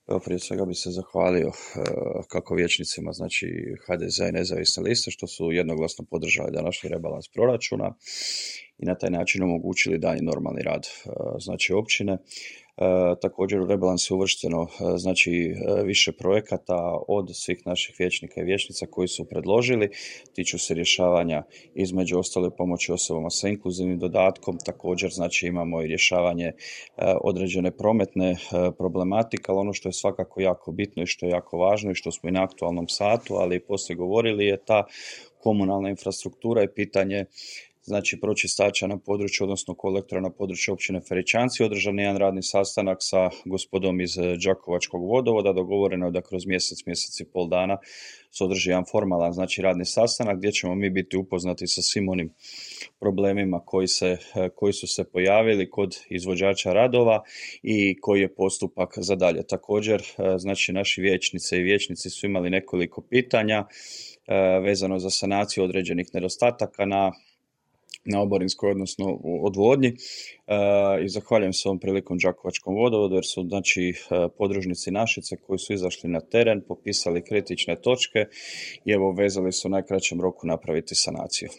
Evo, prije svega bi se zahvalio kako vijećnicima, znači HDZ i nezavisne liste, što su jednoglasno podržali današnji rebalans proračuna i na taj način omogućili dalji normalni rad znači općine. Također u rebalansu je uvršteno znači više projekata od svih naših vijećnika i vijećnica koji su predložili, tiču se rješavanja između ostale pomoći osobama sa inkluzivnim dodatkom. Također znači imamo i rješavanje određene prometne problematike, ali ono što je svakako jako bitno i što je jako važno i što smo i na aktualnom satu, ali i poslije govorili, je ta komunalna infrastruktura i pitanje znači pročistača na području, odnosno kolektora na području općine Feričanci. Održan je jedan radni sastanak sa gospodom iz Đakovačkog vodovoda. Dogovoreno je da kroz mjesec i pol dana se održi jedan formalan znači radni sastanak gdje ćemo mi biti upoznati sa svim onim problemima koji su se pojavili kod izvođača radova i koji je postupak za dalje. Također, znači naši vijećnice i vijećnici su imali nekoliko pitanja vezano za sanaciju određenih nedostataka na oborinskoj, odnosno odvodnji, i zahvaljujem se ovom prilikom Đakovačkom vodovodu jer su znači podružnici Našice koji su izašli na teren, popisali kritične točke i evo vezali su u najkraćem roku napraviti sanaciju.